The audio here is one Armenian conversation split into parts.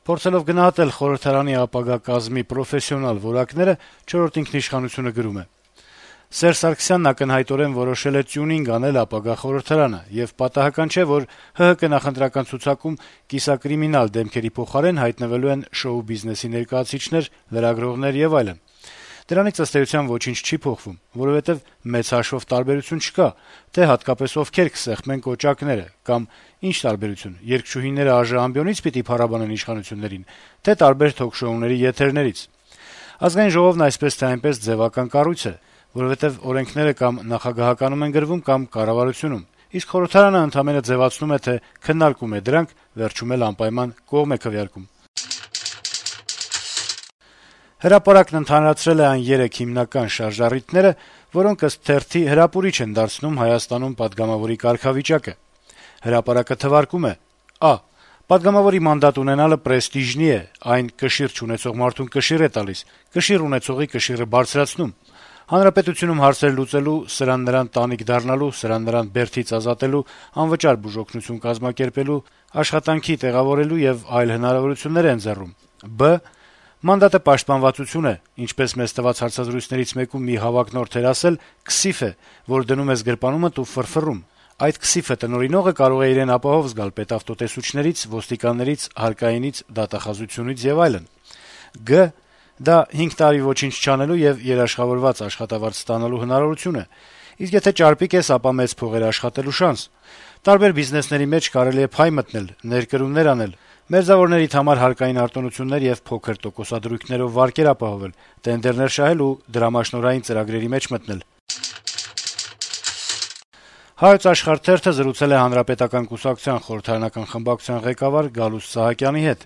Փորձելով գնահատել խորհրդարանի ապագա կազմի պրոֆեսիոնալ որակները, «Չորրորդ ինքնիշխանություն»-ը գրում է. - «Սերժ Սարգսյանն ակնհայտորեն որոշել է տյունինգ անել ապագա խորհրդարանը, եւ պատահական չէ, որ ՀՀԿ նախընտրական ցուցակում կիսակրիմինալ դեմքերի փոխարեն հայտնվելու են շոու բիզնեսի ներկայացուցիչներ, լրագրողներ եւ այլն: Դրանից ըստ էության ոչինչ չի փոխվում, որովհետեւ մեծ հաշվով տարբերություն չկա, թե հատկապես ովքեր կսեղմեն կոճակները, կամ ինչ տարբերություն, երգչուհիները ԱԺ ամբիոնի՞ց պիտի փառաբանեն իշխանություններին, թե տարբեր թոք-շոուների եթերներից: Ազգային ժողովն այսպես թե այնպես ձեւական կառույց է, որովհետեւ օրենքները կամ նախագահականում են գրվում, կամ կառավարությունում, իսկ խորհրդարանը ընդամենը ձեւացնում է, թե քննարկում է դրանք, վերջում էլ անպայման կողմ է քվեարկում»: «Հրապարակ»-ն ընդհանրացրել է այն 3 հիմնական շարժառիթները, որոնք ըստ թերթի հրապուրիչ են դարձնում Հայաստանում պատգամավորի կարգավիճակը: «Հրապարակ»-ը թվարկում է. - «Ա. Պատգամավորի մանդատ ունենալը պրեստիժնի է, այն կշիռ չունեցող մարդուն կշիռ է տալիս, կշիռ ունեցողի կշիռը բարձրացնում: Հանրապետությունում հարցեր լուծելու, սրան-նրան տանիք դառնալու, սրան-նրան բերդից ազատելու, անվճար բուժօգնություն կազմակերպելու, աշխատանքի տեղավորելու եւ այլ հնարավորություններ է ընձեռում: Բ. Մանդատը պաշտպանվածություն է, ինչպես մեզ տված հարցազրույցներից մեկում մի հավակնորդ էր ասել, քսիֆ է, որ դնում ես գրպանումդ ու ֆռֆռում: Այդ քսիֆը տնօրինողը կարող է իրեն ապահով զգալ պետավտոտեսուչներից, ոստիկաններից, հարկայինից, դատախազությունից եւ այլն: Գ. Դա 5 տարի ոչինչ չանելու եւ երաշխավորված աշխատավարձ ստանալու հնարավորություն է: Իսկ եթե ճարպիկ ես, ապա մեծ փողեր աշխատելու շանս: Տարբեր բիզնեսների մեջ կարելի է փայ մտնել, ներկրումներ անել, մերձավորներիդ համար հարկային արտոնություններ եւ փոքր տոկոսադրույքներով վարկեր ապահովել, տենդերներ շահել ու դրամաշնորհային ծրագրերի մեջ մտնել»: «Հայոց Աշխարհ» թերթը զրուցել է Հանրապետական կուսակցության խորհրդարանական խմբակցության ղեկավար Գալուստ Սահակյանի հետ: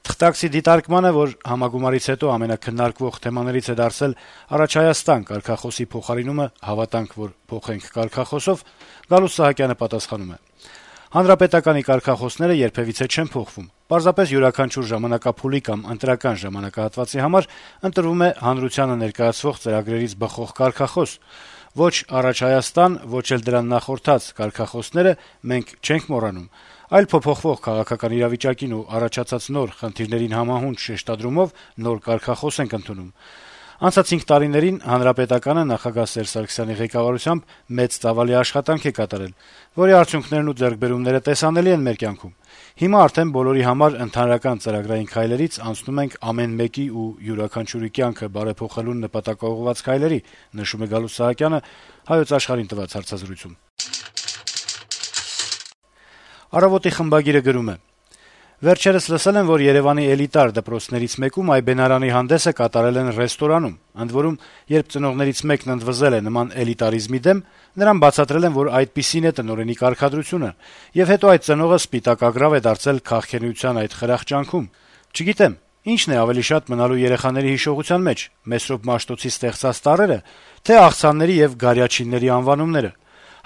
Թղթակցի դիտարկմանը, որ համագումարից հետո ամենաքննարկվող թեմաներից է դարձել «Առաջ Հայաստան» կարգախոսի փոխարինումը «Հավատանք, որ փոխենք» կարգախոսով, Գալուստ Սահակյանը պատասխանում է. - «Հանրապետականի կարգախոսները երբեւիցե չեն փոխվում: Պարզապես յուրաքանչյուր ժամանակափուլի կամ ընտրական ժամանակահատվածի համար ընտրվում է հանրությանը ներկայացվող ծրագրերից բխող կարգախոս: Ոչ «Առաջ Հայաստան», ոչ էլ դրան նախորդած կարգախոսները մենք չենք մոռանում, այլ փոփոխվող քաղաքական իրավիճակին ու առաջացած նոր խնդիրներին համահունչ շեշտադրումով նոր կարգախոս ենք ընդունում: Անցած 5 տարիներին Հանրապետականը նախագահ Սերժ Սարգսյանի ղեկավարությամբ մեծ ծավալի աշխատանք է կատարել, որի արդյունքներն ու ձեռքբերումները տեսանելի են մեր կյանքում: Հիմա արդեն բոլորի համար ընդհանրական ծրագրային քայլերից անցնում ենք ամեն մեկի ու յուրաքանչյուրի կյանքը բարեփոխելուն նպատակաուղղված քայլերի», - նշում է Գալուստ Սահակյանը «Հայոց Աշխարհ»-ին տված հարցազրույցում: «Առավոտ»-ի խմբագիրը գրում է. - «Վերջերս լսել եմ, որ Երեւանի էլիտար դպրոցներից մեկում այբենարանի հանդեսը կատարել են ռեստորանում: Ընդ որում, երբ ծնողներից մեկն ընդվզել է նման էլիտարիզմի դեմ, նրան բացատրել են, որ այդպիսին է տնօրենի կարգադրությունը, եւ հետո այդ ծնողը սպիտակ ագռավ է դարձել քաղքենության այդ խրախ ճանկում: Չգիտեմ, ի՞նչն է ավելի շատ մնալու երեխաների հիշողության մեջ՝ Մեսրոպ Մաշտոցի ստեղծած տառե՞րը, թե աղցանների եւ գարյաչինների անվանումները: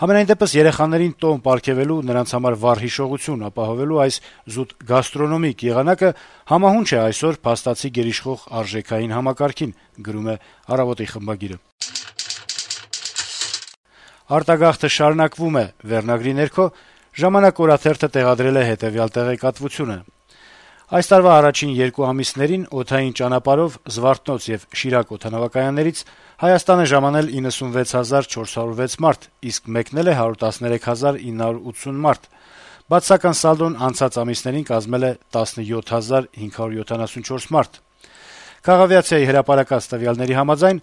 Համենայն դեպս, երեխաներին տոն պարգեւելու, նրանց համար վառ հիշողություն ապահովելու այս զուտ գաստրոնոմիկ եղանակը համահունչ է այսօր փաստացի գերիշխող արժեքային համակարգին»: «Արտագաղթը շարունակվում է» վերնագրի ներքո «Ժամանակ» օրաթերթը տեղադրել է հետեւյալ տեղեկատվությունը. - «Այս տարվա առաջին 2 ամիսներին օդային ճանապարհով Զվարթնոց եւ Շիրակ օդանավակայաններից Հայաստան է ժամանել 96 406 մարդ, իսկ մեկնել է 113 980 մարդ: Բացասական սալդոն անցած ամիսներին կազմել է 17 574 մարդ: Քաղավիացիայի հրապարակած տվյալների համաձայն,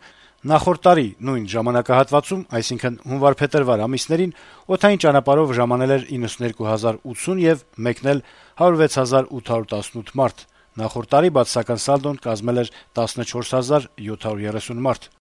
նախորդ տարի նույն ժամանակահատվածում, այսինքն հունվար-փետրվար ամիսներին օդային ճանապարհով ժամանել էր 92 080 եւ մեկնել 106 818 մարդ: Նախորդ տարի բացասական սալդոն կազմել էր 14 730 մարդ»: